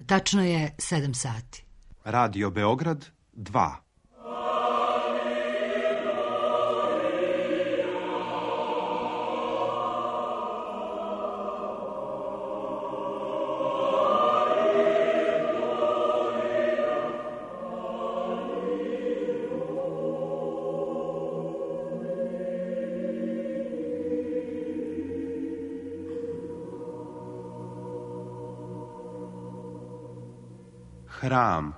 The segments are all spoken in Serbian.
Tačno je 7 sati. Radio Beograd 2. Hram.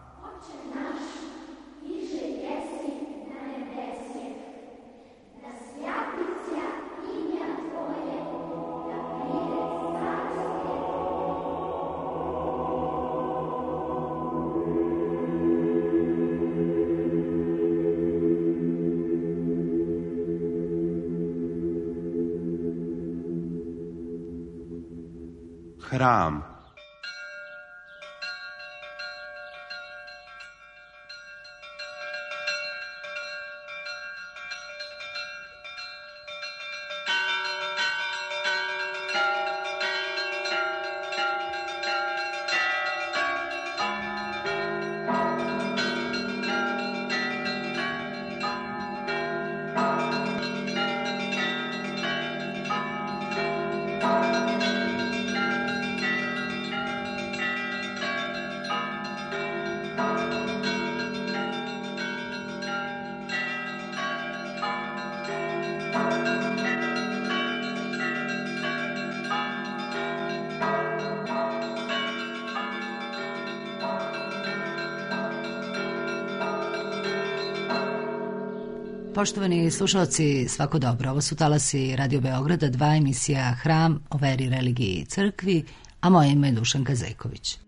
Hram. Poštovani slušalci, svako dobro. Ovo su talasi Radio Beograda 2, emisija Hram o veri, religiji i crkvi, a moje ime je Dušanka Zejković.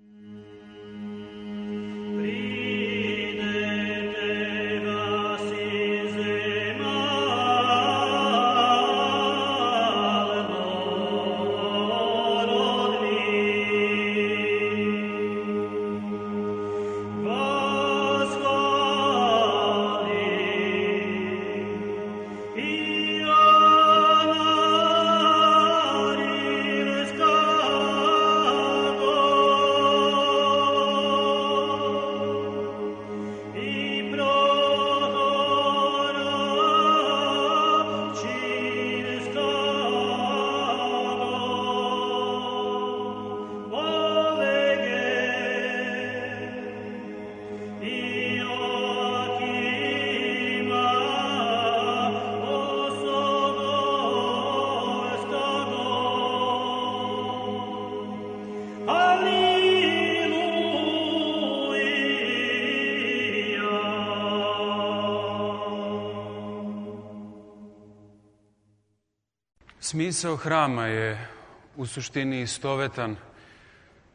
Smisao hrama je u suštini istovetan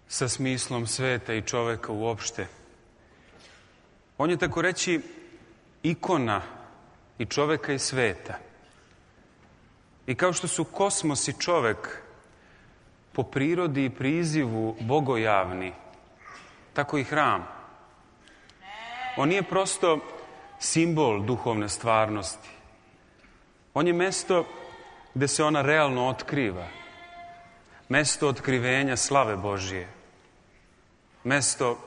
sa smislom sveta i čoveka uopšte. On je tako reći ikona i čoveka i sveta. I kao što su kosmos i čovek po prirodi i prizivu bogojavni, tako i hram. On nije prosto simbol duhovne stvarnosti. On je mesto gde se ona realno otkriva. Mesto otkrivenja slave Božije. Mesto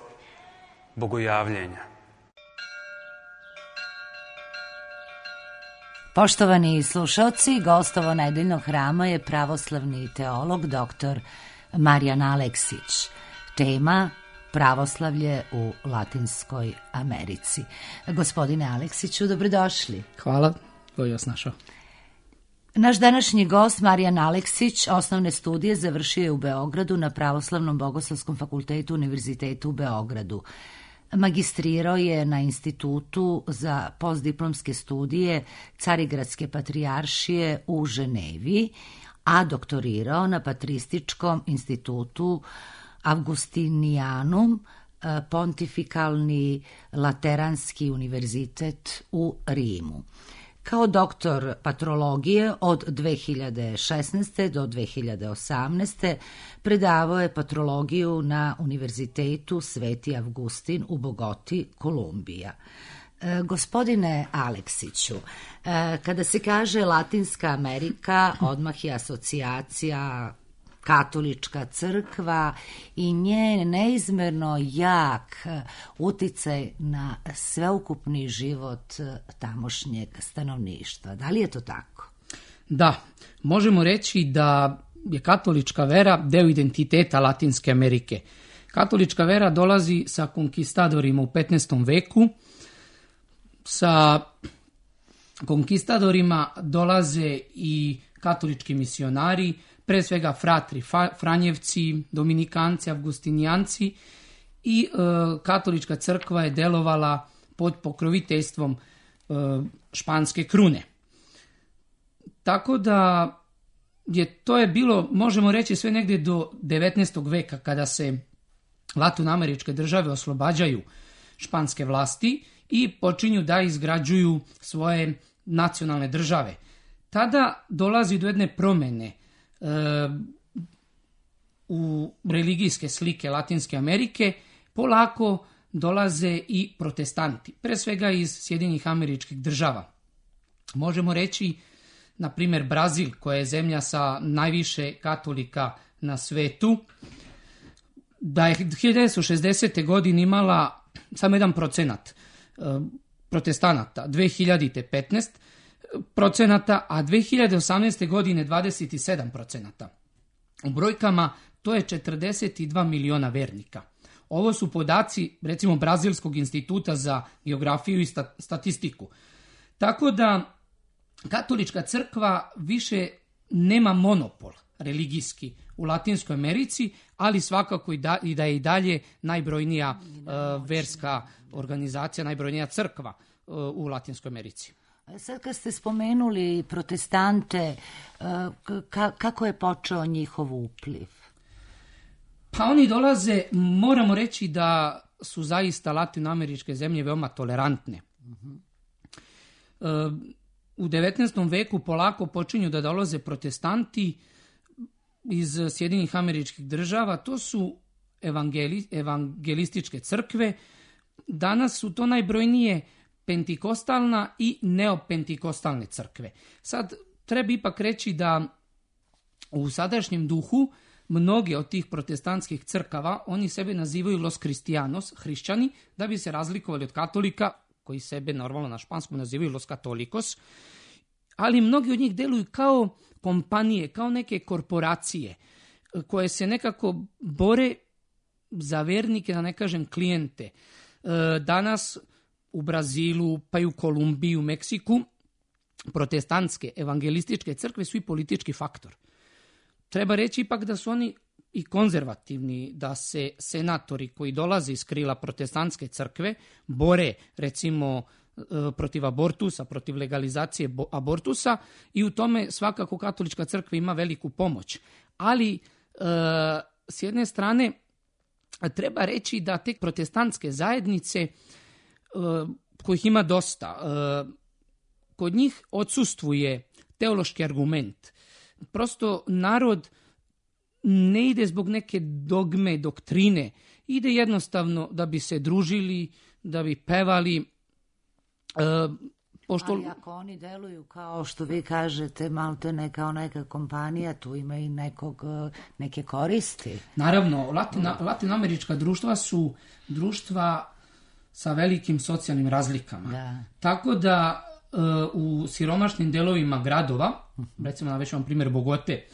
bogojavljenja. Poštovani slušalci, gost ovo nedeljnog hrama je pravoslavni teolog dr. Marijan Aleksić. Tema pravoslavlje u Latinskoj Americi. Gospodine Aleksiću, dobrodošli. Hvala, koji vas našao. Naš današnji gost, Marijan Aleksić, osnovne studije završio je u Beogradu na Pravoslavnom bogoslovskom fakultetu Univerzitetu u Beogradu. Magistrirao je na Institutu za postdiplomske studije Carigradske patrijaršije u Ženevi, a doktorirao na Patrističkom institutu Augustinianum, Pontifikalni Lateranski univerzitet u Rimu. Kao doktor patrologije od 2016. do 2018. predavao je patrologiju na Univerzitetu Sveti Avgustin u Bogoti, Kolumbija. Gospodine Aleksiću, kada se kaže Latinska Amerika, odmah je asocijacija katolička crkva i njen neizmerno jak uticaj na sveukupni život tamošnjeg stanovništva. Da li je to tako? Da, možemo reći da je katolička vera deo identiteta Latinske Amerike. Katolička vera dolazi sa konkistadorima u 15. veku. Sa konkistadorima dolaze i katolički misionari, pre svega fratri, Franjevci, Dominikanci, Avgustinijanci i katolička crkva je delovala pod pokroviteljstvom španske krune. Tako da to je bilo, možemo reći, sve negdje do 19. veka kada se latinoameričke države oslobađaju španske vlasti i počinju da izgrađuju svoje nacionalne države. Tada dolazi do jedne promjene u religijske slike Latinske Amerike, polako dolaze i protestanti, pre svega iz Sjedinjenih Američkih Država. Možemo reći, na primjer, Brazil, koja je zemlja sa najviše katolika na svetu, da je 1960. godine imala samo 1% protestanata, 2000. 15%, a 2018. godine 27%. U brojkama to je 42 miliona vernika. Ovo su podaci, recimo, Brazilskog instituta za geografiju i statistiku. Tako da katolička crkva više nema monopol religijski u Latinskoj Americi, ali svakako i da je i dalje najbrojnija verska organizacija, najbrojnija crkva u Latinskoj Americi. Sad kad ste spomenuli protestante, kako je počeo njihov upliv? Pa oni dolaze, moramo reći da su zaista latinoameričke zemlje veoma tolerantne. U 19. veku polako počinju da dolaze protestanti iz Sjedinjenih Američkih Država. To su evangelističke crkve. Danas su to najbrojnije pentikostalna i neopentikostalne crkve. Sad treba ipak reći da u sadašnjem duhu mnoge od tih protestantskih crkava, oni sebe nazivaju Los Cristianos, hrišćani, da bi se razlikovali od katolika, koji sebe normalno na španskom nazivaju Los Catolicos, ali mnogi od njih deluju kao kompanije, kao neke korporacije, koje se nekako bore za vernike, da ne kažem klijente. Danas u Brazilu, pa i u Kolumbiji, u Meksiku, protestantske evangelističke crkve su i politički faktor. Treba reći ipak da su oni i konzervativni, da se senatori koji dolaze iz krila protestantske crkve bore, recimo, protiv abortusa, protiv legalizacije abortusa, i u tome svakako katolička crkva ima veliku pomoć. Ali s jedne strane treba reći da te protestantske zajednice, kojih ima dosta, kod njih odsustvuje teološki argument. Prosto narod ne ide zbog neke dogme, doktrine, ide jednostavno da bi se družili, da bi pevali. Ali ako oni deluju kao što vi kažete, maltene kao neka kompanija, tu ima i neke koristi. Naravno, latinoamerička društva su društva sa velikim socijalnim razlikama. Da. Tako da u siromašnim delovima gradova, recimo navešću vam primjer Bogote,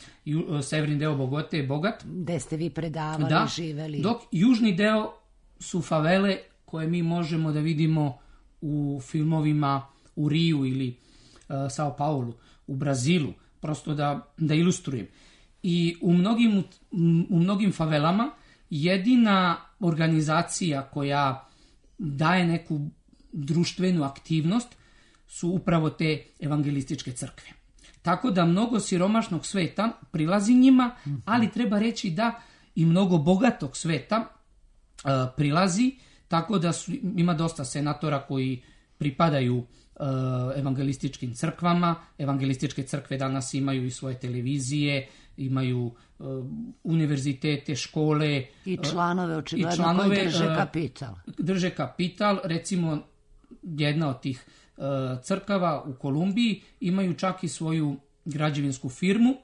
severni deo Bogote je bogat. Gde ste vi predavali, živeli. Dok južni deo su favele koje mi možemo da vidimo u filmovima u Riju ili Sao Paulu, u Brazilu, prosto da ilustrujem. I u mnogim favelama jedina organizacija koja daje neku društvenu aktivnost su upravo te evangelističke crkve. Tako da mnogo siromašnog sveta prilazi njima, ali treba reći da i mnogo bogatog sveta prilazi, tako da ima dosta senatora koji pripadaju evangelističkim crkvama. Evangelističke crkve danas imaju i svoje televizije, imaju univerzitete, škole. I članove očigledno koji drže kapital. Drže kapital, recimo jedna od tih crkava u Kolumbiji imaju čak i svoju građevinsku firmu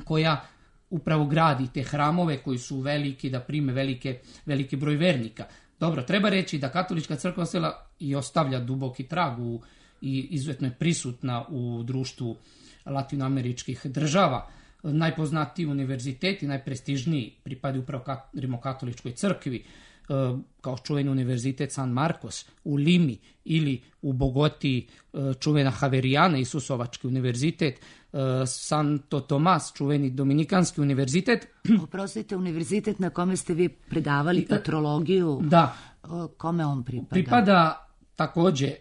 koja upravo gradi te hramove koji su veliki, da prime veliki broj vernika. Dobro, treba reći da katolička crkva ostala i ostavlja duboki trag i izuzetno je prisutna u društvu latinoameričkih država. Najpoznatiji univerziteti, najprestižniji pripadaju upravo rimokatoličkoj crkvi, kao čuveni univerzitet San Marcos u Limi ili u Bogoti čuvena Javerijana, Isusovački univerzitet, Santo Tomas, čuveni Dominikanski univerzitet. Oprostite, univerzitet na kome ste vi predavali patrologiju, da, kome on pripada? Pripada također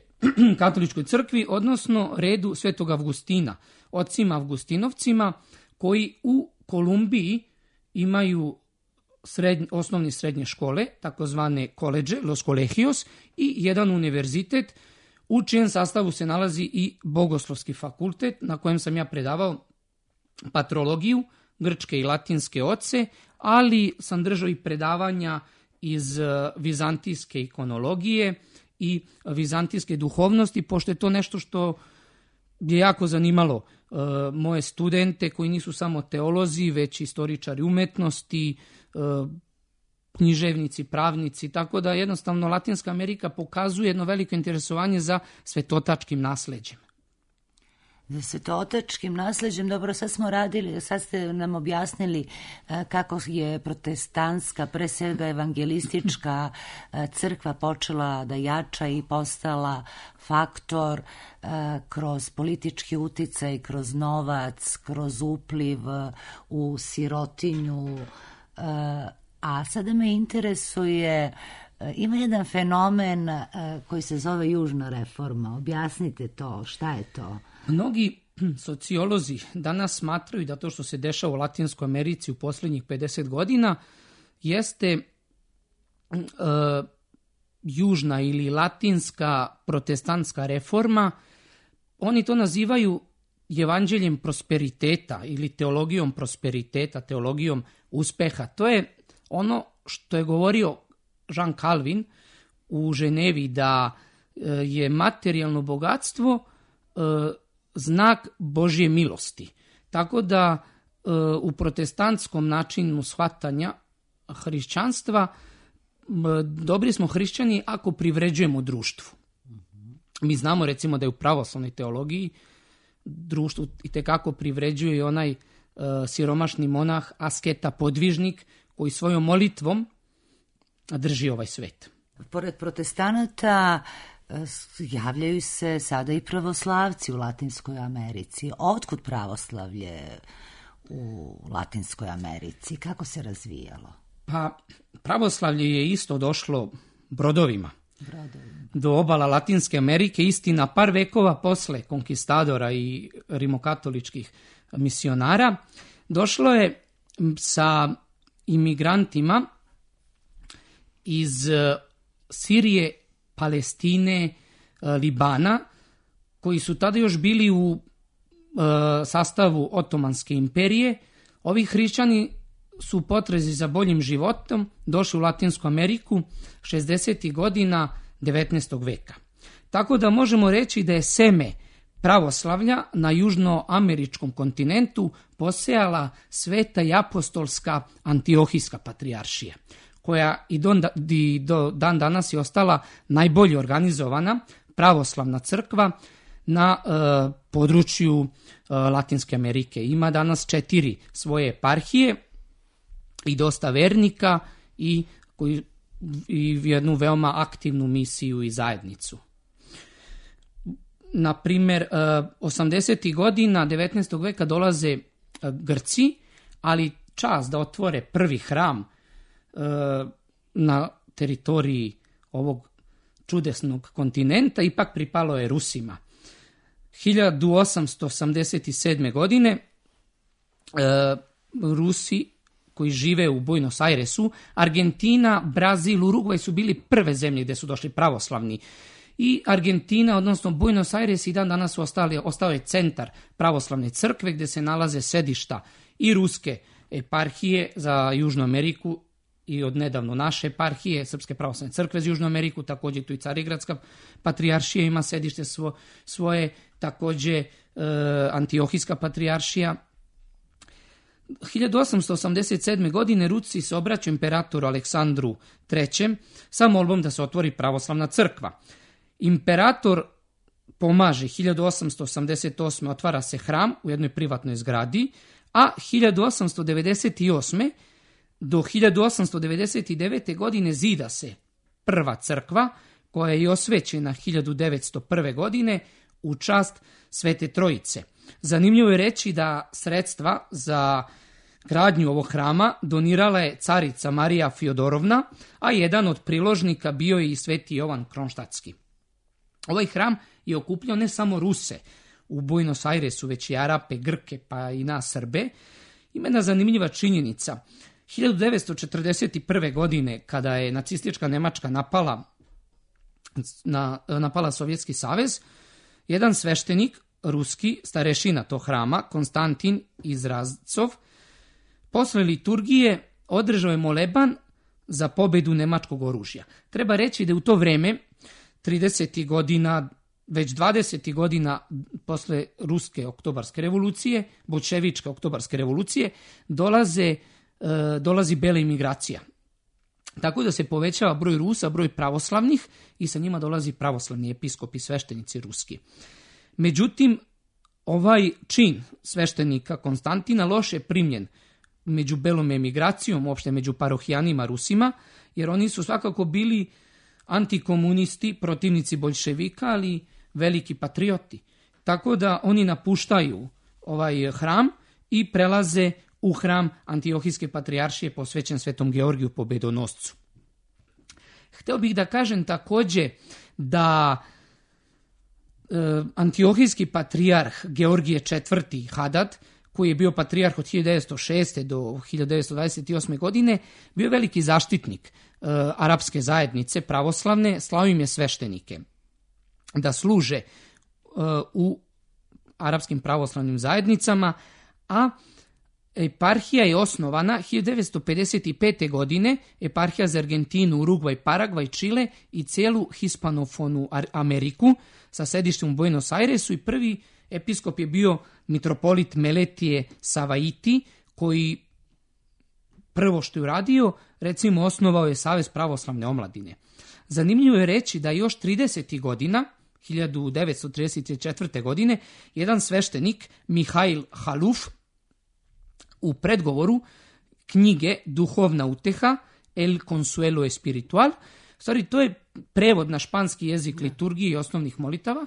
katoličkoj crkvi, odnosno redu Svetog Avgustina, ocima Avgustinovcima, koji u Kolumbiji imaju osnovne i srednje škole, takozvane koleđe, Los Colegios, i jedan univerzitet u čijem sastavu se nalazi i Bogoslovski fakultet, na kojem sam ja predavao patrologiju, grčke i latinske oce, ali sam držao i predavanja iz vizantijske ikonologije i vizantijske duhovnosti, pošto je to nešto što je jako zanimalo moje studente koji nisu samo teolozi, već istoričari umetnosti, književnici, pravnici, tako da jednostavno Latinska Amerika pokazuje jedno veliko interesovanje za svetotačkim nasleđem. Za svetotačkim nasleđem, dobro, sad ste nam objasnili kako je protestantska, pre svega evangelistička crkva počela da jača i postala faktor kroz politički uticaj, kroz novac, kroz upliv u sirotinju. A sada me interesuje, ima jedan fenomen koji se zove južna reforma. Objasnite to, šta je to? Mnogi sociolozi danas smatraju da to što se dešava u Latinskoj Americi u posljednjih 50 godina jeste južna ili latinska protestantska reforma. Oni to nazivaju evanđeljem prosperiteta ili teologijom prosperiteta, teologijom uspeha. To je ono što je govorio Jean Calvin u Ženevi, da je materijalno bogatstvo znak Božje milosti. Tako da u protestantskom načinu shvatanja hrišćanstva dobri smo hrišćani ako privređujemo društvu. Mi znamo recimo da je u pravoslavnoj teologiji društvu itekako privređuje onaj siromašni monah, asketa, podvižnik koji svojom molitvom drži ovaj svet. Pored protestanata javljaju se sada i pravoslavci u Latinskoj Americi. Otkud pravoslavlje u Latinskoj Americi? Kako se razvijalo? Pa pravoslavlje je isto došlo brodovima. Do obala Latinske Amerike, istina par vekova posle konkistadora i rimokatoličkih misionara. Došlo je sa imigrantima iz Sirije, Palestine, Libana, koji su tada još bili u sastavu Otomanske imperije. Ovi hrišćani su u potrazi za boljim životom došli u Latinsku Ameriku 60. godina 19. veka. Tako da možemo reći da je seme pravoslavlja na južnoameričkom kontinentu posejala Sveta i apostolska Antiohijska patrijaršija, koja i do dan danas je ostala najbolje organizovana pravoslavna crkva na području Latinske Amerike. Ima danas 4 svoje eparhije i dosta vernika i jednu veoma aktivnu misiju i zajednicu. Na primjer, 80. godina 19. veka dolaze Grci, ali čas da otvore prvi hram na teritoriji ovog čudesnog kontinenta ipak pripalo je Rusima. 1887. godine Rusi koji žive u Buenos Airesu, Argentina, Brazil, Urugvaj su bili prve zemlje gdje su došli pravoslavni. I Argentina, odnosno Buenos Aires, i dan danas su ostao je centar pravoslavne crkve gdje se nalaze sedišta i ruske eparhije za Južnu Ameriku i odnedavno naše eparhije, Srpske pravoslavne crkve za Južnu Ameriku, također tu i Carigradska patrijaršija ima sedište svoje, također Antiohijska patrijaršija. 1887. godine Rusi se obraćaju imperatoru Aleksandru III sa molbom da se otvori pravoslavna crkva. Imperator pomaže, 1888. otvara se hram u jednoj privatnoj zgradi, a 1898. do 1899. godine zida se prva crkva koja je osvećena 1901. godine u čast Svete Trojice. Zanimljivo je reći da sredstva za gradnju ovog hrama donirala je carica Marija Fjodorovna, a jedan od priložnika bio je i Sveti Jovan Kronštatski. Ovaj hram je okupljao ne samo Ruse u Buenos Airesu, već i Arape, Grke pa i nas Srbe. Ima jedna zanimljiva činjenica. 1941. godine, kada je nacistička Nemačka napala Sovjetski savez, jedan sveštenik, ruski starešina tog hrama, Konstantin Izrazcov, posle liturgije održao je moleban za pobedu nemačkog oružja. Treba reći da u to vreme, 30. godina, već 20. godina posle Ruske oktobarske revolucije, bolševičke oktobarske revolucije, dolazi bela imigracija. Tako da se povećava broj Rusa, broj pravoslavnih i sa njima dolazi pravoslavni episkopi, sveštenici ruski. Međutim, ovaj čin sveštenika Konstantina loše je primljen među belom emigracijom, uopšte među parohijanima Rusima, jer oni su svakako bili antikomunisti, protivnici boljševika, ali veliki patrioti. Tako da oni napuštaju ovaj hram i prelaze u hram Antiohijske patrijaršije posvećen Svetom Georgiju Pobedonoscu. Hteo bih da kažem takođe da Antiohijski patrijarh Georgije IV. Hadad, koji je bio patrijarh od 1906. do 1928. godine, bio veliki zaštitnik arapske zajednice pravoslavne, slao im je sveštenike da služe u arapskim pravoslavnim zajednicama, a eparhija je osnovana 1955. godine, eparhija za Argentinu, Urugvaj, Paragvaj, Čile i celu hispanofonu Ameriku sa sedištem u Buenos Airesu, i prvi episkop je bio mitropolit Meletije Savaiti, koji prvo što je uradio, recimo osnovao je Savez pravoslavne omladine. Zanimljivo je reći da još 30. godina, 1934. godine, jedan sveštenik, Mihail Haluf, u predgovoru knjige Duhovna uteha, El Consuelo Espiritual, stvari to je prevod na španski jezik liturgije i osnovnih molitava,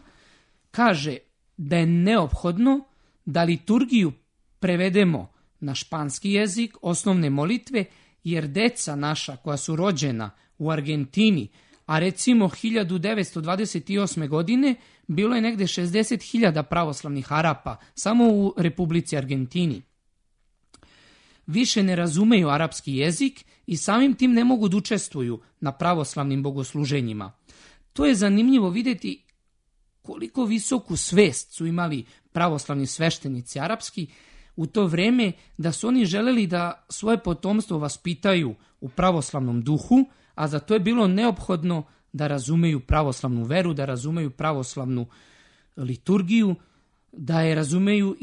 kaže da je neophodno da liturgiju prevedemo na španski jezik, osnovne molitve, jer deca naša koja su rođena u Argentini, a recimo 1928. godine bilo je negde 60.000 pravoslavnih Arapa samo u Republici Argentini, više ne razumeju arapski jezik i samim tim ne mogu da učestvuju na pravoslavnim bogosluženjima. To je zanimljivo vidjeti koliko visoku svest su imali pravoslavni sveštenici arapski u to vreme, da su oni želeli da svoje potomstvo vaspitaju u pravoslavnom duhu, a za to je bilo neophodno da razumeju pravoslavnu veru, da razumeju pravoslavnu liturgiju, da je razumeju,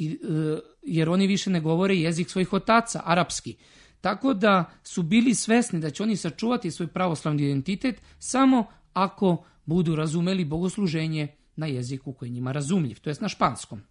jer oni više ne govore jezik svojih otaca, arapski. Tako da su bili svesni da će oni sačuvati svoj pravoslavni identitet samo ako budu razumeli bogosluženje na jeziku koji je njima razumljiv, to jest na španskom.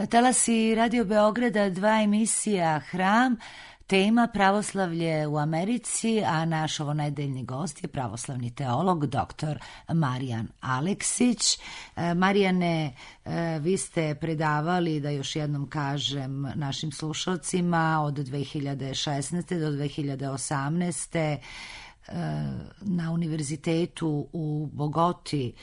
Talasi Radio Beograda, 2 emisija Hram, tema pravoslavlje u Americi, a naš ovonedeljni gost je pravoslavni teolog dr. Marijan Aleksić. Marijane, vi ste predavali, da još jednom kažem našim slušalcima, od 2016. do 2018. na univerzitetu u Bogoti,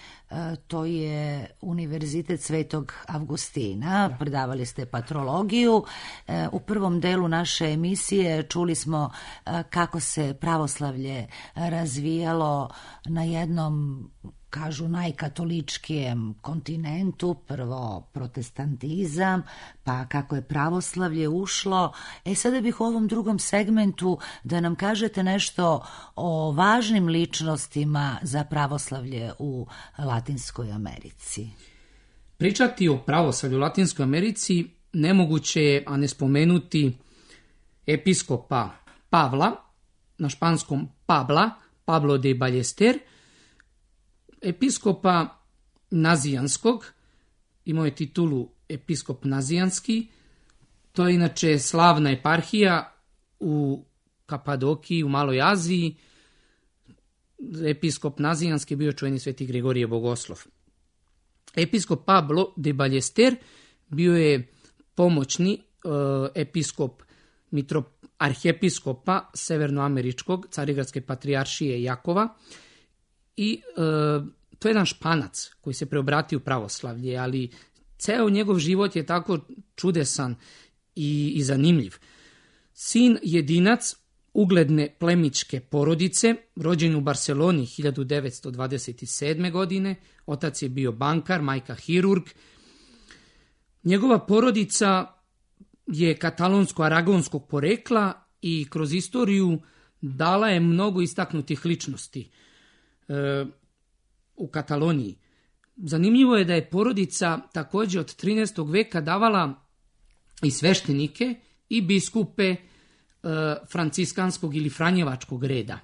to je Univerzitet Svetog Avgustina, predavali ste patrologiju. U prvom delu naše emisije čuli smo kako se pravoslavlje razvijalo na jednom, kažu, najkatoličkijem kontinentu, prvo protestantizam, pa kako je pravoslavlje ušlo. Sada bih u ovom drugom segmentu da nam kažete nešto o važnim ličnostima za pravoslavlje u Latinskoj Americi. Pričati o pravoslavlju u Latinskoj Americi nemoguće je, a ne spomenuti episkopa Pavla, na španskom Pablo de Ballester, episkopa Nazijanskog, imao je titulu episkop Nazijanski, to je inače slavna eparhija u Kapadokiji, u Maloj Aziji. Episkop Nazijanski je bio čuveni sveti Grigorije Bogoslov. Episkop Pablo de Ballester bio je pomoćni episkop arhijepiskopa severnoameričkog Carigradske patrijaršije Jakova i to je jedan Španac koji se preobratio u pravoslavlje, ali ceo njegov život je tako čudesan i zanimljiv. Sin jedinac ugledne plemićke porodice, rođen u Barceloni 1927. godine, otac je bio bankar, majka hirurg. Njegova porodica je katalonsko-aragonskog porekla i kroz istoriju dala je mnogo istaknutih ličnosti u Kataloniji. Zanimljivo je da je porodica također od 13. veka davala i sveštenike i biskupe franciskanskog ili franjevačkog reda.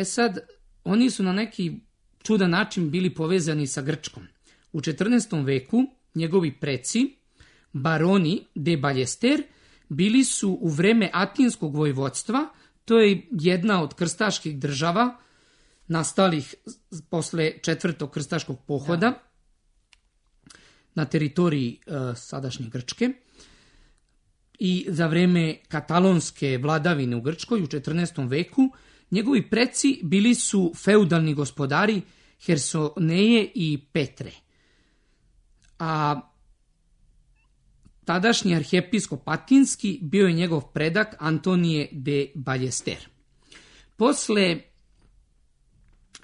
Sad, oni su na neki čudan način bili povezani sa Grčkom. U 14. veku njegovi preci, baroni de Ballester, bili su u vreme Atinskog vojvodstva, to je jedna od krstaških država nastalih posle 4. krstaškog pohoda na teritoriji sadašnje Grčke, i za vreme katalonske vladavine u Grčkoj u 14. veku njegovi preci bili su feudalni gospodari Hersoneje i Petre. A tadašnji arhijepiskop Atinski bio je njegov predak Antonije de Ballester. Posle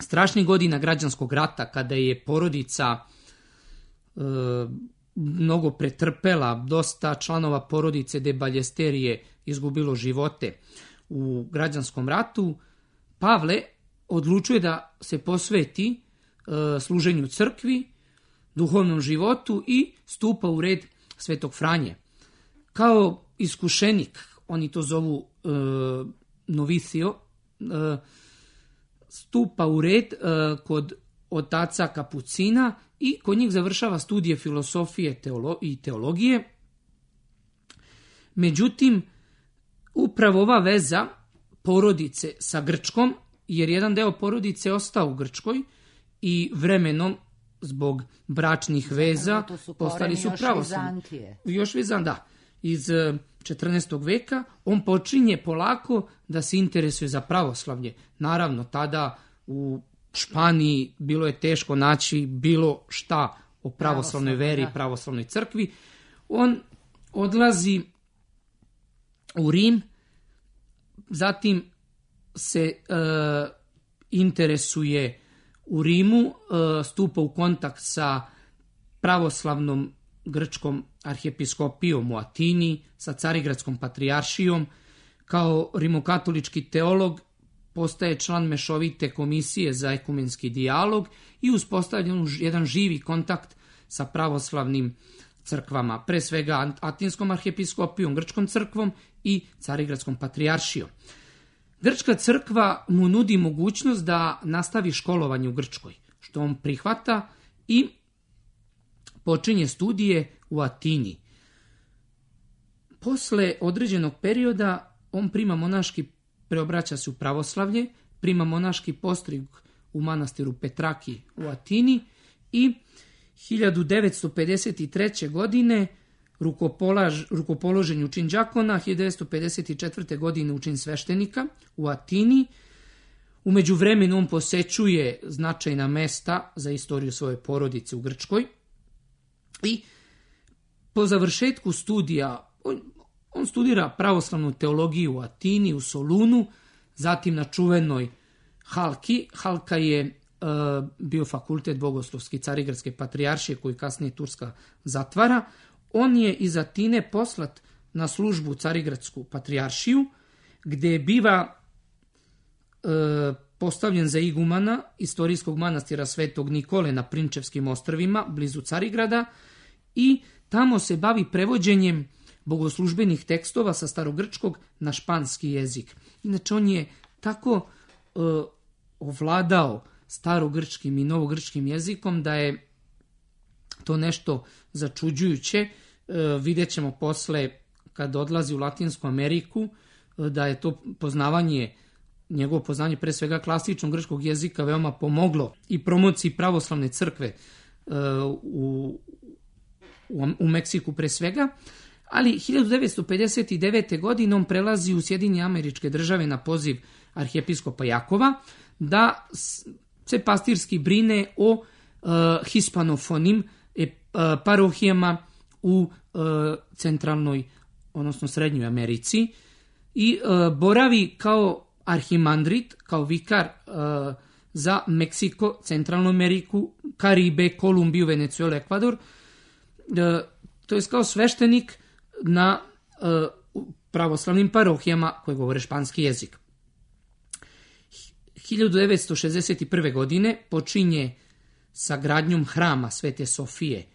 strašnih godina građanskog rata, kada je porodica mnogo pretrpela, dosta članova porodice de Ballester je izgubilo živote u građanskom ratu, Pavle odlučuje da se posveti služenju crkvi, duhovnom životu i stupa u red Svetog Franje. Kao iskušenik, oni to zovu novicio, stupa u red kod otaca Kapucina i kod njih završava studije filosofije i teologije. Međutim, upravo ova veza porodice sa Grčkom, jer jedan deo porodice ostao u Grčkoj i vremenom zbog bračnih veza postali su pravoslavni. Još Vizan, da. Iz 14. veka on počinje polako da se interesuje za pravoslavlje. Naravno, tada u Španiji bilo je teško naći bilo šta o pravoslavnoj veri i pravoslavnoj crkvi. On odlazi u Rim, zatim se interesuje u Rimu, stupa u kontakt sa pravoslavnom grčkom arhijepiskopijom u Atini, sa Carigradskom patrijaršijom. Kao rimokatolički teolog postaje član mešovite komisije za ekumenski dijalog i uspostavljen jedan živi kontakt sa pravoslavnim crkvama, pre svega Atinskom arhijepiskopijom, Grčkom crkvom i Carigradskom patrijaršijom. Grčka crkva mu nudi mogućnost da nastavi školovanje u Grčkoj, što on prihvata i počinje studije u Atini. Posle određenog perioda on prima monaški, preobraća se u pravoslavlje, prima monaški postrig u manastiru Petraki u Atini i 1953. godine rukopoložen u čin đakona, 1954. godine u čin sveštenika u Atini. U međuvremenu on posećuje značajna mesta za istoriju svoje porodice u Grčkoj i po završetku studija on studira pravoslavnu teologiju u Atini, u Solunu, zatim na čuvenoj Halki. Halka je bio fakultet bogoslovski Carigradske patrijaršije koji kasnije Turska zatvara. On je iz Atine poslat na službu u Carigradsku patrijaršiju, gde biva postavljen za igumana istorijskog manastira Svetog Nikole na Prinčevskim ostrvima, blizu Carigrada, i tamo se bavi prevođenjem bogoslužbenih tekstova sa starogrčkog na španski jezik. Inače, on je tako ovladao starogrčkim i novogrčkim jezikom da je to nešto začuđujuće. Vidjet ćemo posle, kad odlazi u Latinsku Ameriku, da je to njegovo poznanje pre svega klasičnog grčkog jezika veoma pomoglo i promociji pravoslavne crkve u Meksiku pre svega. Ali 1959. godine on prelazi u Sjedinjene Američke Države na poziv arhijepiskopa Jakova da se pastirski brine o hispanofonim parohijama u centralnoj, odnosno srednjoj Americi, i boravi kao arhimandrit, kao vikar za Meksiko, Centralnu Ameriku, Karibe, Kolumbiju, Venecuelu, Ekvador, to je kao sveštenik na pravoslavnim parohijama koje govore španski jezik. 1961. godine počinje sa gradnjom hrama Svete Sofije,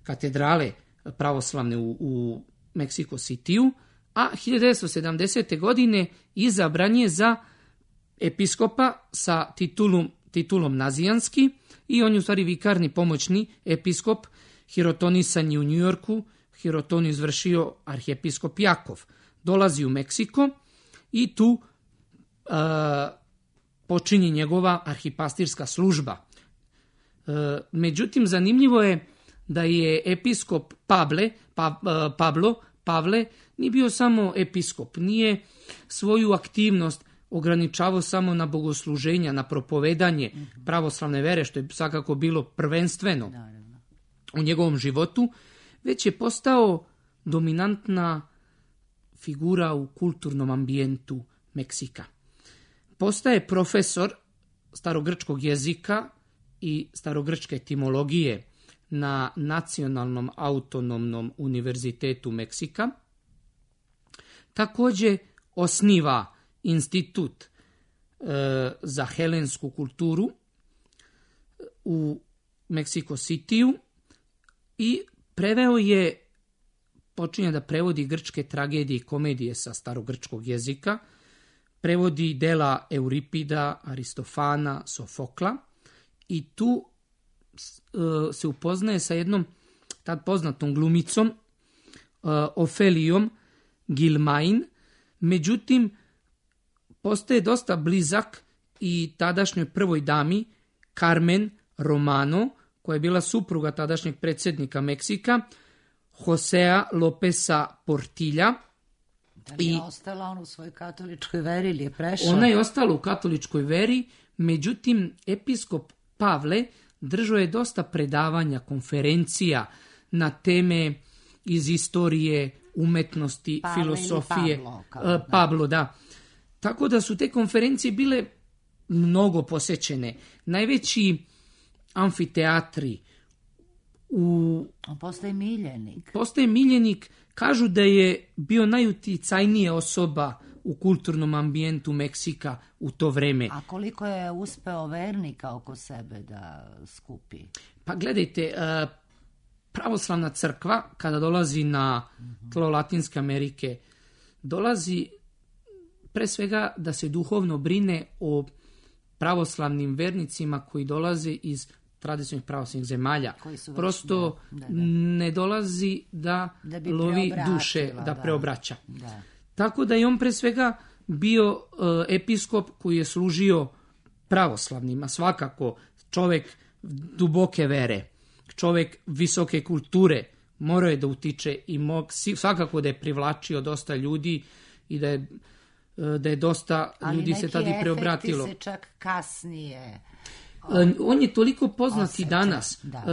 katedrale pravoslavne u Mexico Cityu, a 1970. godine izabran je za episkopa sa titulom nazijanski i on je u stvari vikarni pomoćni episkop. Hirotonisan je u Njujorku, hirotoniju izvršio arhijepiskop Jakov. Dolazi u Meksiko i tu počinje njegova arhipastirska služba. Međutim, zanimljivo je da je episkop Pavle nije bio samo episkop, nije svoju aktivnost ograničavao samo na bogosluženja, na propovedanje pravoslavne vere, što je svakako bilo prvenstveno u njegovom životu, već je postao dominantna figura u kulturnom ambijentu Meksika. Postaje profesor starogrčkog jezika i starogrčke etimologije na Nacionalnom autonomnom univerzitetu Meksika. Također osniva institut za helensku kulturu u Mexico Cityu i počinje da prevodi grčke tragedije i komedije sa starogrčkog jezika, prevodi dela Euripida, Aristofana, Sofokla i tu se upoznaje sa jednom tad poznatom glumicom Ofelijom Gilmain. Međutim, postaje dosta blizak i tadašnjoj prvoj dami Carmen Romano, koja je bila supruga tadašnjeg predsjednika Meksika, Josea Lopeza Portilla. Da li je ostala on u svojoj katoličkoj veri ili je prešao? Ona je ostala u katoličkoj veri, međutim, episkop Pavle držao je dosta predavanja, konferencija na teme iz istorije, umetnosti, filosofije. Pablo, da. Tako da su te konferencije bile mnogo posećene. Najveći amfiteatri On postaje miljenik. Postaje miljenik, kažu da je bio najuticajnija osoba u kulturnom ambijentu Meksika u to vreme. A koliko je uspeo vernika oko sebe da skupi? Pa gledajte, pravoslavna crkva kada dolazi na tlo Latinske Amerike, dolazi pre svega da se duhovno brine o pravoslavnim vernicima koji dolaze iz tradicionalnih pravoslavnih zemalja. Koji su već, prosto da. ne dolazi da bi lovi preobratila, duše, da preobraća. Da. Tako da je on pre svega bio episkop koji je služio pravoslavnima, svakako čovjek duboke vere, čovjek visoke kulture, morao je da utiče i svakako da je privlačio dosta ljudi i da je dosta ljudi se tada i preobratilo. Ali neki efekti se čak kasnije... On je toliko poznat i danas. Da.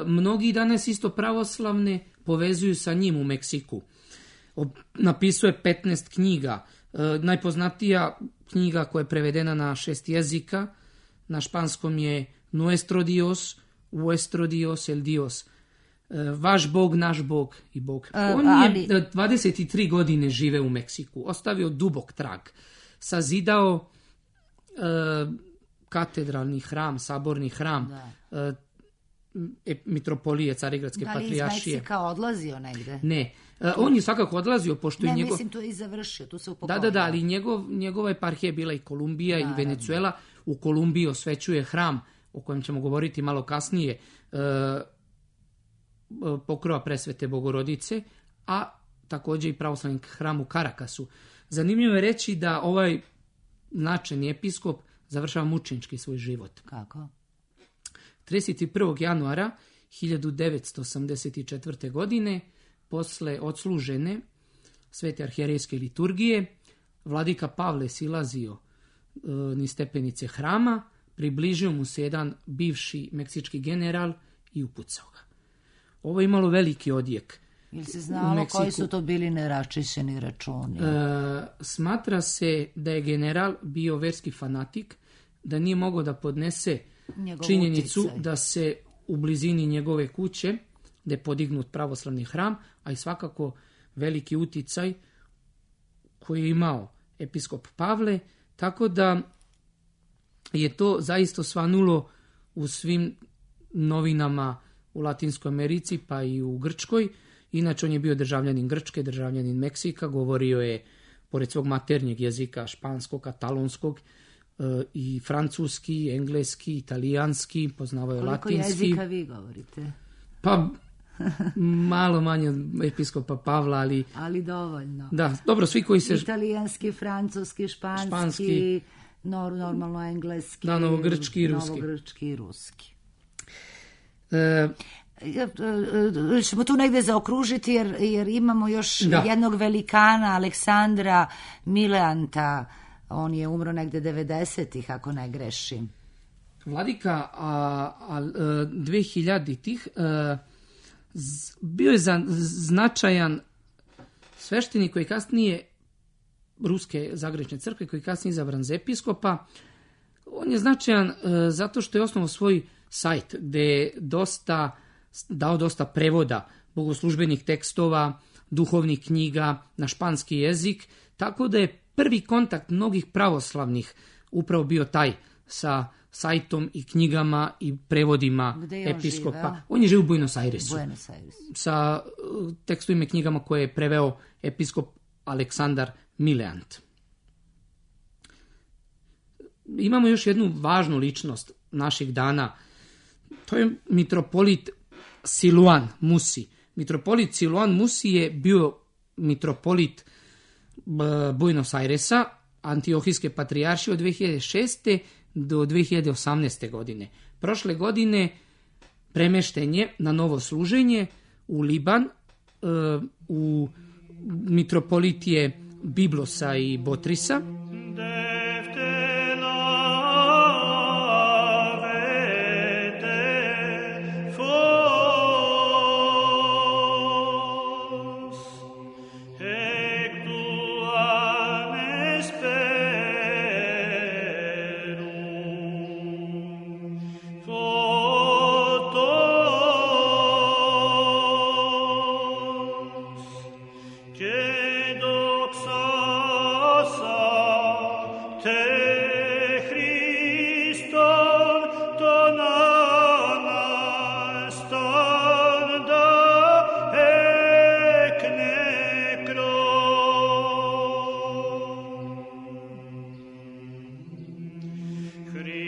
Mnogi danas isto pravoslavne povezuju sa njim u Meksiku. Napisao je 15 knjiga. Najpoznatija knjiga koja je prevedena na 6 jezika, na španskom je Nuestro Dios, Vuestro Dios, el Dios. Vaš Bog, naš Bog i Bog. On je 23 godine žive u Meksiku. Ostavio dubok trag. Sazidao katedralni hram, saborni hram, mitropolije, Carigradske patrijaršije. Da li iz Meksika odlazio negde? Ne. On je svakako odlazio, pošto je mislim, tu je i završio, tu se upokojio. Da, ali njegova eparhija je bila i Kolumbija i Venezuela. U Kolumbiji osvećuje hram, o kojem ćemo govoriti malo kasnije, Pokrova presvete Bogorodice, a također i pravoslavni hram u Karakasu. Zanimljivo je reći da ovaj značajni episkop završava mučenički svoj život. Kako? 31. januara 1984. godine, posle odslužene svete arhijerejske liturgije, vladika Pavle silazio niz stepenice hrama, približio mu se jedan bivši meksički general i upucao ga. Ovo je imalo veliki odjek. Ili se znalo koji su to bili neraščišćeni računi? Smatra se da je general bio verski fanatik, da nije mogao da podnese činjenicu uticaj. Da se u blizini njegove kuće, da je podignut pravoslavni hram, a i svakako veliki uticaj koji je imao episkop Pavle, tako da je to zaista svanulo u svim novinama u Latinskoj Americi, pa i u Grčkoj. Inače, on je bio državljanin Grčke, državljanin Meksika, govorio je, pored svog maternjeg jezika, španskog, katalonskog, i francuski, engleski, italijanski, poznavao je latinski. Koliko jezika vi govorite? Pa, malo manje od episkopa Pavla, ali... Ali dovoljno. Da, dobro, svi koji se... Italijanski, francuski, španski, normalno engleski. Da, novogrčki i ruski. Novogrčki i ruski. Ćemo tu negde zaokružiti jer imamo još jednog velikana, Aleksandra Mileanta. On je umro negde 90-ih, ako ne grešim. Vladika 2000-ih bio je značajan sveštenik koji kasnije Ruske Zagrečne crkve, koji kasnije izabran za episkopa. On je značajan zato što je osnovao svoj sajt gde je dao dosta prevoda bogoslužbenih tekstova, duhovnih knjiga na španski jezik, tako da je prvi kontakt mnogih pravoslavnih upravo bio taj sa sajtom i knjigama i prevodima episkopa. Živeo? On je živio u Buenos Airesu. Sa tekstovima i knjigama koje je preveo episkop Aleksandar Mileant. Imamo još jednu važnu ličnost naših dana. To je mitropolit Siluan Musi. Mitropolit Siluan Musi je bio mitropolit Buenos Airesa, Antiohijske patrijaršije od 2006. do 2018. godine. Prošle godine premešten je na novo služenje u Liban, u mitropolitije Biblosa i Botrisa.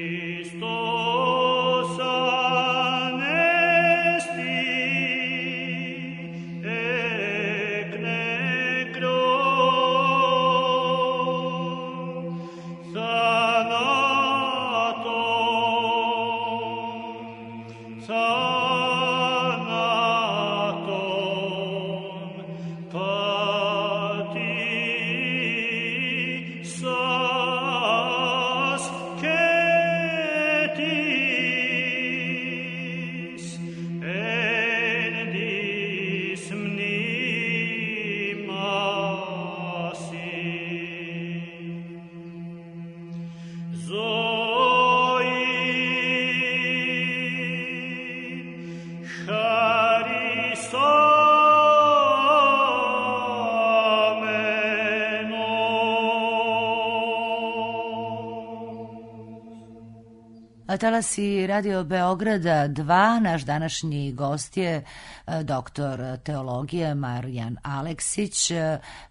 Christos Talasi Radio Beograda 2, naš današnji gost je doktor teologije Marijan Aleksić.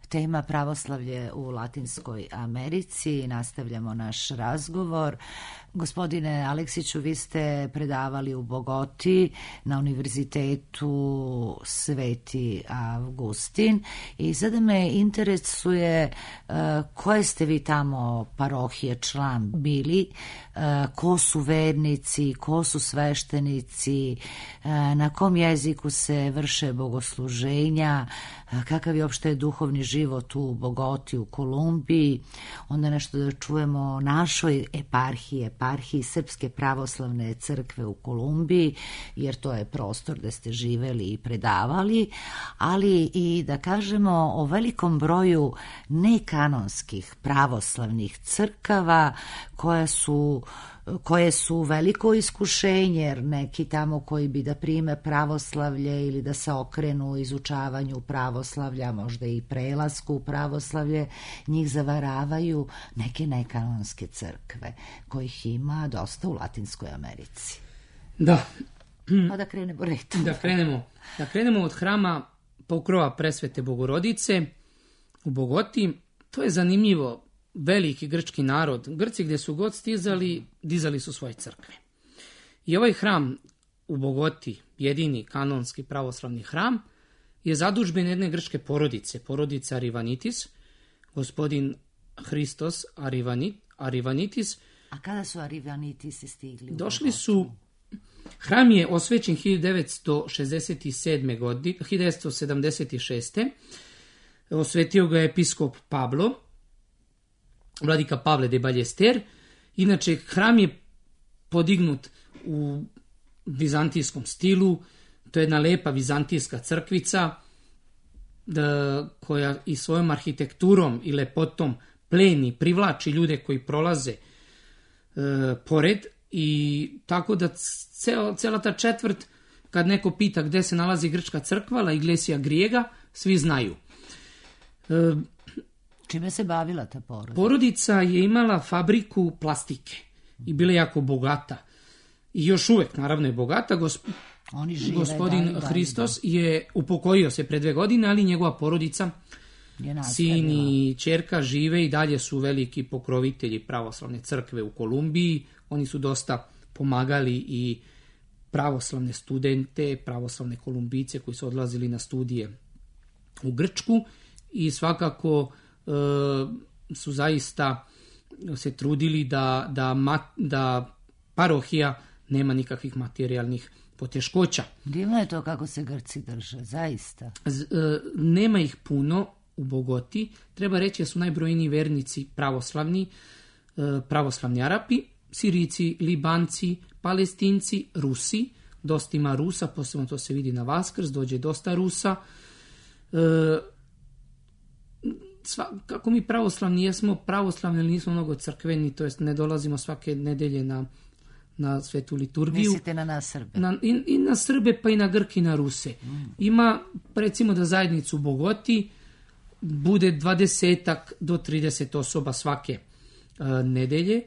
Tema pravoslavlje u Latinskoj Americi. Nastavljamo naš razgovor. Gospodine Aleksiću, vi ste predavali u Bogoti na Univerzitetu Sveti Avgustin i sada me interesuje koje ste vi tamo parohije član bili, ko su vernici, ko su sveštenici, na kom jeziku se vrše bogosluženja, kakav je uopšte duhovni život u Bogoti, u Kolumbiji. Onda nešto da čujemo o našoj eparhiji Srpske pravoslavne crkve u Kolumbiji, jer to je prostor gde ste živeli i predavali, ali i da kažemo o velikom broju nekanonskih pravoslavnih crkava koje su veliko iskušenje, jer neki tamo koji bi da prime pravoslavlje ili da se okrenu izučavanju pravoslavlja, možda i prelasku u pravoslavlje, njih zavaravaju neke nekanonske crkve, kojih ima dosta u Latinskoj Americi. Da. Pa da krenemo redom. Da krenemo od hrama Pokrova Presvete Bogorodice u Bogoti. To je zanimljivo. Veliki grčki narod, Grci gdje su god stizali, dizali su svoje crkve. I ovaj hram u Bogoti, jedini kanonski pravoslavni hram, je zadužben jedne grčke porodice, porodica Arivanitis, gospodin Hristos Arivanitis. A kada su Arivanitisi stigli? Došli su, hram je osvećen 1976. Osvetio ga je episkop Pablo, vladika Pavle de Ballester. Inače, hram je podignut u vizantijskom stilu. To je jedna lepa vizantijska crkvica koja i svojom arhitekturom i lepotom pleni, privlači ljude koji prolaze pored. I tako da cela ta četvrt, kad neko pita gde se nalazi grčka crkva, La Iglesia Griega, svi znaju. Čime se bavila ta porodica? Porodica je imala fabriku plastike i bila jako bogata. I još uvek, naravno, je bogata. Gospodin Hristos je upokojio se pre 2 godine, ali njegova porodica, sin i ćerka, žive i dalje su veliki pokrovitelji pravoslavne crkve u Kolumbiji. Oni su dosta pomagali i pravoslavne studente, pravoslavne Kolumbijce koji su odlazili na studije u Grčku i svakako su zaista se trudili da parohija nema nikakvih materijalnih poteškoća. Divno je to kako se Grci drže, zaista. Nema ih puno u Bogoti. Treba reći da su najbrojniji vernici pravoslavni Arapi, Sirijci, Libanci, Palestinci, Rusi. Dosta ima Rusa, posebno to se vidi na Vaskrs, dođe dosta Rusa. Kako mi pravoslavni jesmo pravoslavni, ali nismo mnogo crkveni, to jest ne dolazimo svake nedelje na svetu liturgiju. Mislite na nas Srbe? I na Srbe, pa i na Grke i na Ruse. Ima, recimo da zajednicu u Bogoti bude 20 do 30 osoba svake nedelje.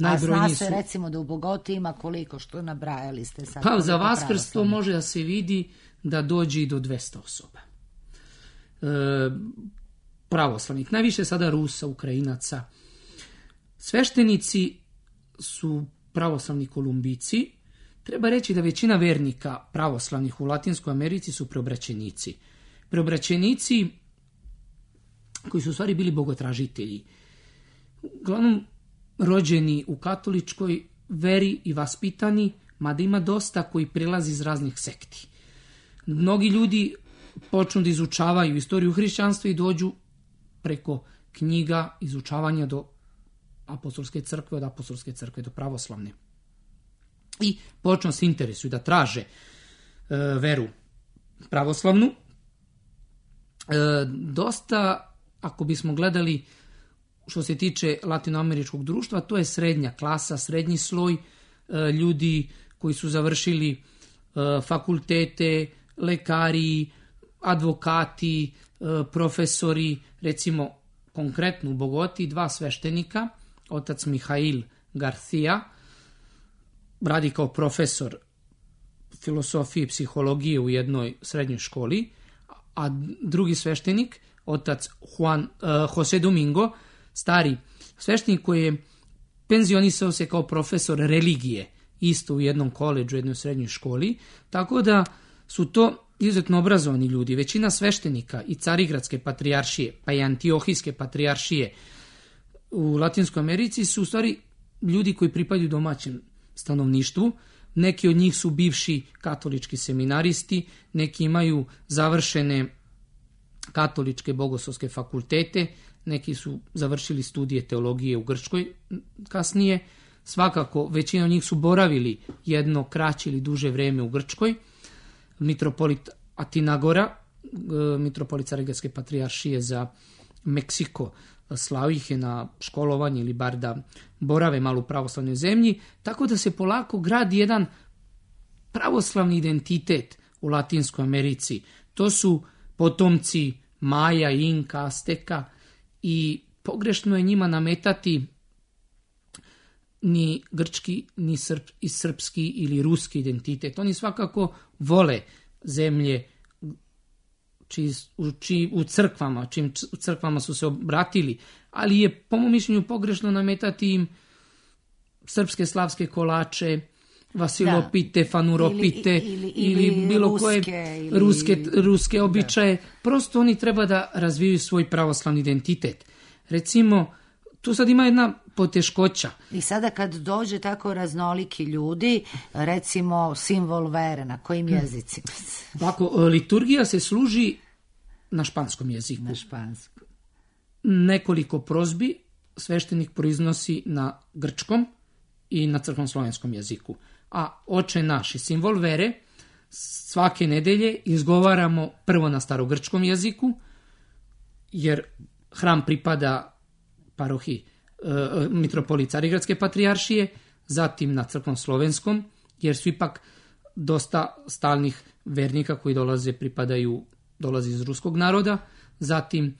A zna se recimo da u Bogoti ima koliko, što nabrajali ste sad? Pa za Vaskrs to može da se vidi da dođe i do 200 osoba. Pravoslavnih, najviše sada Rusa, Ukrajinaca. Sveštenici su pravoslavni Kolumbijci. Treba reći da većina vernika pravoslavnih u Latinskoj Americi su preobraćenici. Preobraćenici koji su u stvari bili bogotražitelji. Uglavnom rođeni u katoličkoj veri i vaspitani, mada ima dosta koji prilazi iz raznih sekti. Mnogi ljudi počnu da izučavaju istoriju hrišćanstva i dođu preko knjiga izučavanja do apostolske crkve, od apostolske crkve do pravoslavne. I počnu se interesuju da traže veru pravoslavnu. Dosta, ako bismo gledali što se tiče latinoameričkog društva, to je srednja klasa, srednji sloj ljudi koji su završili fakultete, lekari, advokati, profesori, recimo konkretno u Bogoti 2 sveštenika, otac Mihail Garcia, radi kao profesor filosofije i psihologije u jednoj srednjoj školi, a drugi sveštenik, otac Jose Domingo, stari sveštenik koji je penzionisao se kao profesor religije, isto u jednom koledžu, u jednoj srednjoj školi, tako da su to izuzetno obrazovani ljudi. Većina sveštenika i Carigradske patrijaršije, pa i Antiohijske patrijaršije u Latinskoj Americi su u stvari ljudi koji pripadaju domaćem stanovništvu. Neki od njih su bivši katolički seminaristi, neki imaju završene katoličke bogoslovske fakultete, neki su završili studije teologije u Grčkoj kasnije. Svakako, većina od njih su boravili jedno kraće ili duže vreme u Grčkoj. Mitropolit Atinagora, mitropolit Carigradske patrijaršije za Meksiko, slao ih je na školovanje ili bar da borave malo u pravoslavnoj zemlji, tako da se polako gradi jedan pravoslavni identitet u Latinskoj Americi. To su potomci Maja, Inka, Azteka i pogrešno je njima nametati ni grčki, ni srpski ili ruski identitet. Oni svakako vole zemlje u crkvama, čim u crkvama su se obratili, ali je po mom mišljenju pogrešno nametati im srpske slavske kolače, Vasilopite, Fanuropite ili bilo koje ruske običaje. Prosto oni treba da razviju svoj pravoslavni identitet. Recimo, tu sad ima jedna poteškoća. I sada kad dođe tako raznoliki ljudi, recimo simbol vere, na kojim jezicima? Ovako, liturgija se služi na španskom jeziku. Na španskom. Nekoliko prozbi sveštenik proiznosi na grčkom i na crkveno-slovenskom jeziku. A Oče naš i simbol vere svake nedelje izgovaramo prvo na starogrčkom jeziku, jer hram pripada parohiji mitropolit Carigradske patrijaršije, zatim na crkveno-slovenskom, jer su ipak dosta stalnih vernika koji dolaze iz ruskog naroda, zatim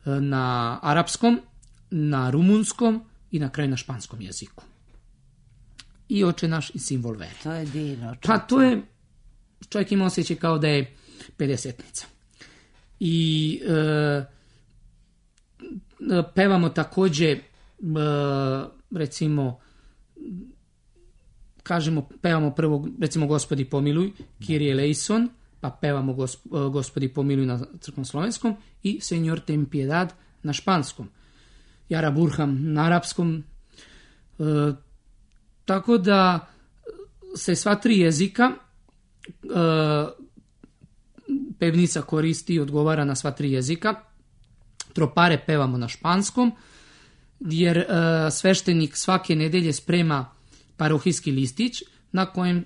na arapskom, na rumunskom i na kraju na španskom jeziku. I Oče naš i simbol vere. To je divno. Pa to je, čovjek ima osjećaj kao da je 50-nica. I pevamo također, recimo, pevamo prvo, recimo, Gospodi pomiluj, Kyrie eleison, pa pevamo Gospodi pomiluj na crkveno-slovenskom i Señor ten piedad na španskom. Jara Burham na arapskom. Tako da se sva tri jezika pevnica koristi i odgovara na sva tri jezika. Tropare pevamo na španskom, jer sveštenik svake nedelje sprema parohijski listić na kojem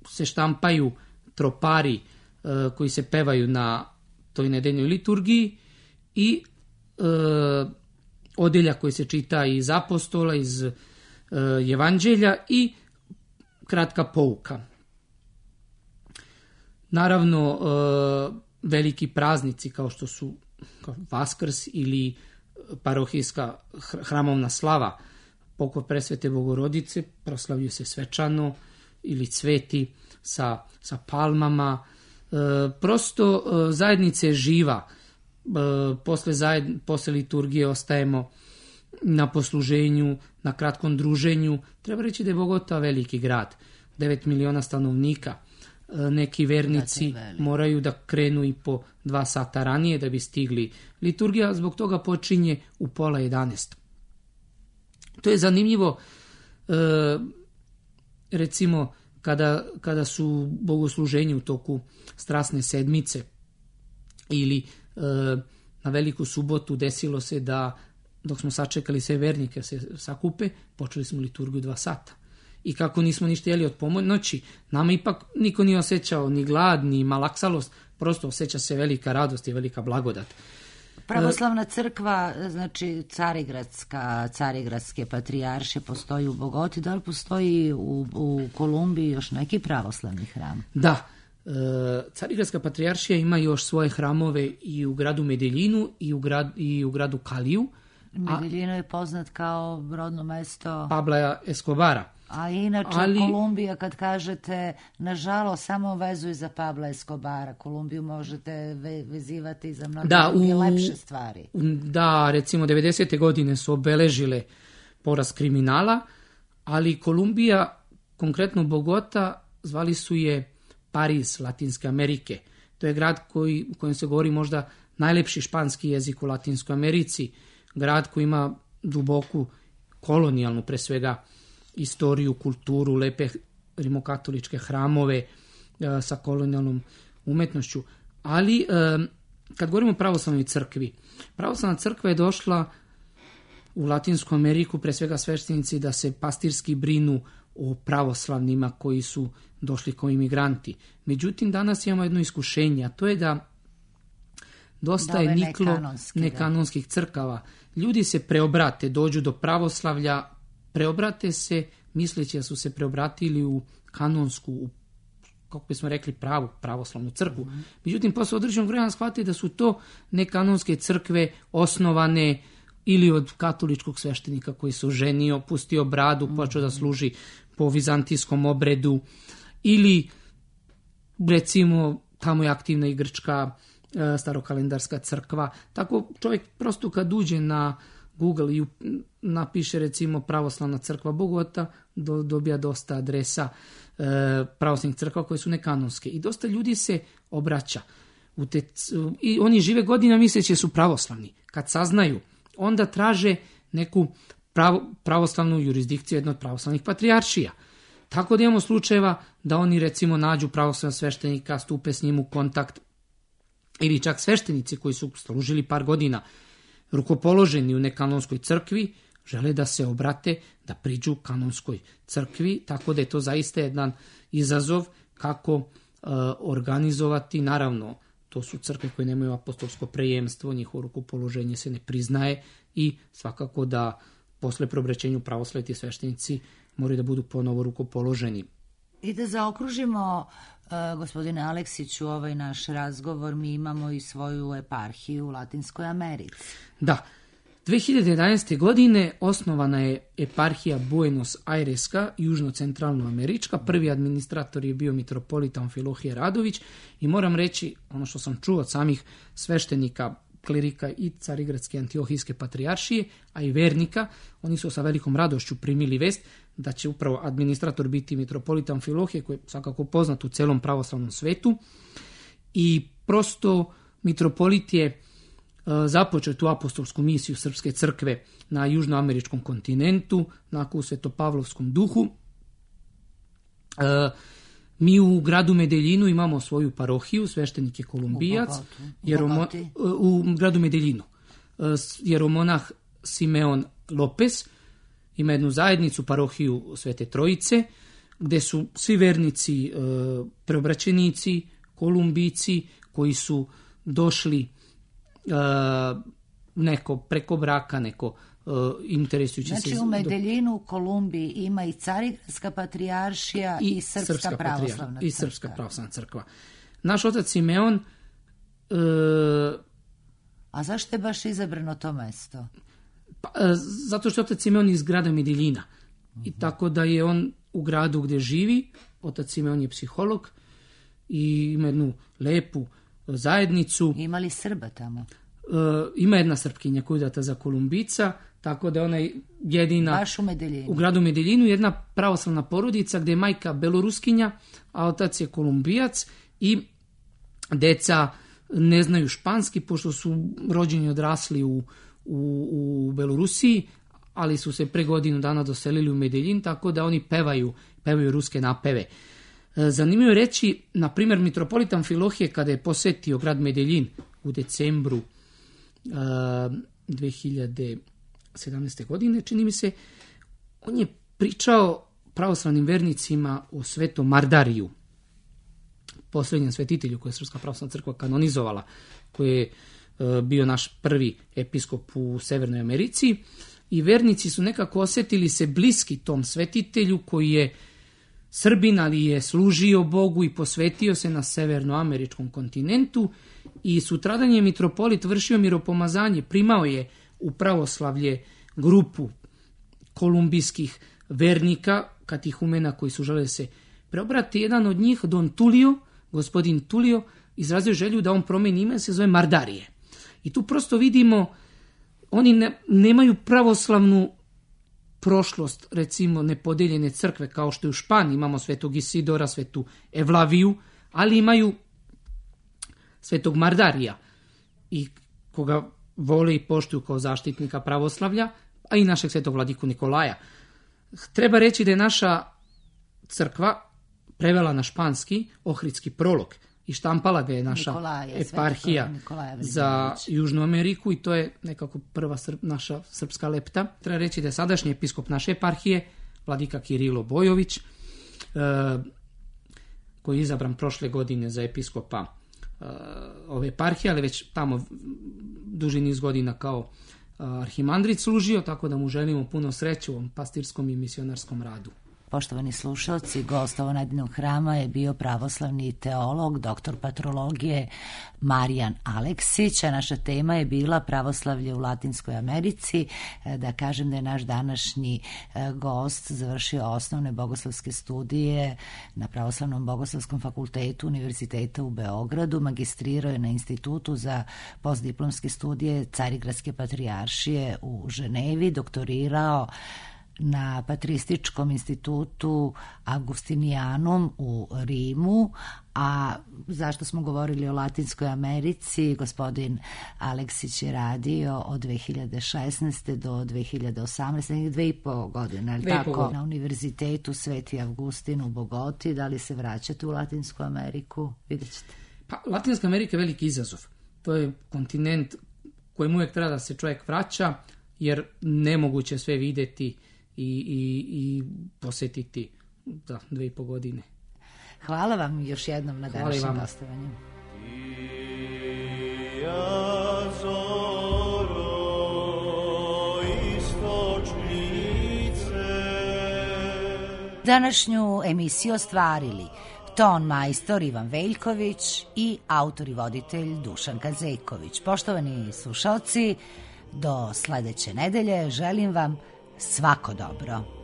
se štampaju tropari koji se pevaju na toj nedeljnoj liturgiji i odeljak koji se čita iz apostola, iz evanđelja i kratka pouka. Naravno, veliki praznici kao što su Vaskrs ili parohijska hramovna slava, pokop presvete Bogorodice, proslavljaju se svečano ili cveti sa palmama. Prosto zajednica je živa. Posle liturgije ostajemo na posluženju, na kratkom druženju. Treba reći da je Bogota veliki grad, 9 miliona stanovnika. Neki vernici moraju da krenu i po 2 sata ranije da bi stigli. Liturgija zbog toga počinje u 10:30. To je zanimljivo, recimo, kada su bogosluženje u toku strasne sedmice ili na Veliku subotu desilo se da dok smo sačekali sve vernike se sakupe, počeli smo liturgiju 2 sata. I kako nismo ništa jeli od ponoći, nama ipak niko nije osjećao ni glad, ni malaksalost, prosto osjeća se velika radost i velika blagodat. Pravoslavna crkva, znači Carigradske patrijarše postoji u Bogoti, da li postoji u Kolumbiji još neki pravoslavni hram? Da, Carigradska patrijaršija ima još svoje hramove i u gradu Medeljinu i u gradu Kaliju. Medeljino je poznat kao rodno mesto Pabla Escobara. A inače, Kolumbija, kad kažete, nažalost, samo vezuju za Pabla Escobara. Kolumbiju možete vezivati za mnoge druge lepše stvari. Da, recimo, 90. godine su obeležile porast kriminala, ali Kolumbija, konkretno Bogota, zvali su je Pariz Latinske Amerike. To je grad u kojem se govori možda najlepši španski jezik u Latinskoj Americi. Grad koji ima duboku kolonijalnu, pre svega, istoriju, kulturu, lepe rimokatoličke hramove sa kolonijalnom umetnošću. Ali, kad govorimo o pravoslavnoj crkvi, pravoslavna crkva je došla u Latinsku Ameriku, pre svega sveštenici, da se pastirski brinu o pravoslavnima koji su došli kao imigranti. Međutim, danas imamo jedno iskušenje, a to je da dosta je niklo nekanonskih crkava. Ljudi se preobrate, dođu do pravoslavlja, preobrate se, misleći da su se preobratili u kanonsku, kako bismo rekli, pravu pravoslavnu crkvu. Međutim, posle određenog vremena shvate da su to nekanonske crkve osnovane ili od katoličkog sveštenika koji se oženio, pustio bradu, počeo da služi po vizantijskom obredu, ili recimo tamo je aktivna i grčka starokalendarska crkva. Tako čovjek prosto kad uđe na Google i napiše recimo pravoslavna crkva Bogota, dobija dosta adresa pravoslavnih crkva koje su nekanonske. I dosta ljudi se obraća. I oni žive godina misleći su pravoslavni. Kad saznaju, onda traže neku pravoslavnu jurisdikciju jednog od pravoslavnih patrijaršija. Tako da imamo slučajeva da oni recimo nađu pravoslavnog sveštenika, stupe s njim u kontakt, ili čak sveštenici koji su služili par godina rukopoloženi u nekanonskoj crkvi, žele da se obrate, da priđu kanonskoj crkvi, tako da je to zaista jedan izazov kako organizovati. Naravno, to su crkve koje nemaju apostolsko prejemstvo, njihovo rukopoloženje se ne priznaje i svakako da posle preobraćenju pravoslavni sveštenici moraju da budu ponovo rukopoloženi. I da zaokružimo, gospodine Aleksiću, ovaj naš razgovor, mi imamo i svoju eparhiju u Latinskoj Americi. Da, 2011. godine osnovana je eparhija Buenos Aireska, južno-centralnoamerička. Prvi administrator je bio mitropolit Amfilohije Radović i moram reći, ono što sam čuo od samih sveštenika, klerika i Carigradske Antiohijske patrijaršije, a i vernika, oni su sa velikom radošću primili vest da će upravo administrator biti mitropolit Amfilohije, koji je svakako poznat u celom pravoslavnom svetu. I prosto mitropolit je započeo tu apostolsku misiju Srpske crkve na južnoameričkom kontinentu, onako u svetopavlovskom duhu. Mi u gradu Medeljinu imamo svoju parohiju, sveštenik je Kolumbijac, u gradu Medeljinu. Jeromonah Simeon Lopez ima jednu zajednicu, parohiju Svete Trojice, gde su svi vernici preobraćenici, Kolumbijci, koji su došli neko preko braka, neko interesujući se... Znači u Medeljinu, u Kolumbiji ima i Carigradska patrijaršija i Srpska pravoslavna crkva. I Srpska pravoslavna crkva. Naš otac Simeon... A zašto je baš izabrano to mesto? Zato što je otac Simeon iz grada Medeljina. I tako da je on u gradu gdje živi, otac Simeon je psiholog i ima jednu lepu zajednicu. Ima li Srba tamo? Ima jedna Srpkinja koja je udata za Kolumbica, tako da je ona jedina baš u gradu Medeljinu, jedna pravoslavna porodica gdje je majka Beloruskinja, a otac je Kolumbijac i deca ne znaju španski, pošto su rođeni i odrasli u Belorusiji, ali su se pre godinu dana doselili u Medeljin, tako da oni pevaju ruske napeve. Zanimljivo je reći, na primjer, mitropolit Amfilohije kada je posetio grad Medeljin u decembru 2017. godine, čini mi se, on je pričao pravoslavnim vernicima o svetom Mardariju, posljednjem svetitelju koje je Srpska pravoslavna crkva kanonizovala, koji je bio naš prvi episkop u Severnoj Americi, i vernici su nekako osjetili se bliski tom svetitelju koji je Srbin, ali je služio Bogu i posvetio se na severnoameričkom kontinentu, i sutradan je mitropolit vršio miropomazanje, primao je u pravoslavlje grupu kolumbijskih vernika, katihumena koji su želeli se preobrati. Jedan od njih, Don Tulio, gospodin Tulio, izrazio želju da on promeni ime, se zove Mardarije. I tu prosto vidimo, oni nemaju pravoslavnu prošlost, recimo nepodeljene crkve, kao što je u Španiji, imamo svetog Isidora, svetu Evlaviju, ali imaju svetog Mardarija, i koga vole i poštuju kao zaštitnika pravoslavlja, a i našeg svetog vladiku Nikolaja. Treba reći da je naša crkva prevela na španski Ohridski prolog i štampala ga je naša eparhija za Južnu Ameriku, i to je nekako prva naša srpska lepta. Treba reći da je sadašnji episkop naše eparhije, vladika Kirilo Bojović, koji je izabran prošle godine za episkopa ove eparhije, ali već tamo duži niz godina kao arhimandrit služio, tako da mu želimo puno sreće u ovom pastirskom i misionarskom radu. Poštovani slušalci, gost Ovonedinog hrama je bio pravoslavni teolog, doktor patrologije Marijan Aleksić, a naša tema je bila pravoslavlje u Latinskoj Americi. Da kažem da je naš današnji gost završio osnovne bogoslovske studije na Pravoslavnom bogoslovskom fakultetu Univerziteta u Beogradu, magistrirao je na Institutu za postdiplomske studije Carigradske patrijaršije u Ženevi, doktorirao na Patrističkom institutu Augustinianum u Rimu. A zašto smo govorili o Latinskoj Americi, gospodin Aleksić je radio od 2016. do 2018. 2,5 godine, ali tako, na Univerzitetu Sveti Avgustin u Bogoti. Da li se vraćate u Latinsku Ameriku? Vidjet ćete. Pa, Latinska Amerika je veliki izazov. To je kontinent kojem uvijek treba da se čovjek vraća, jer nemoguće sve vidjeti i posjetiti za 2,5 godine. Hvala vam još jednom na današnjem gostovanju. Današnju emisiju ostvarili ton majstor Ivan Veljković i autor i voditelj Dušan Kazeković. Poštovani slušalci, do sledeće nedelje želim vam svako dobro.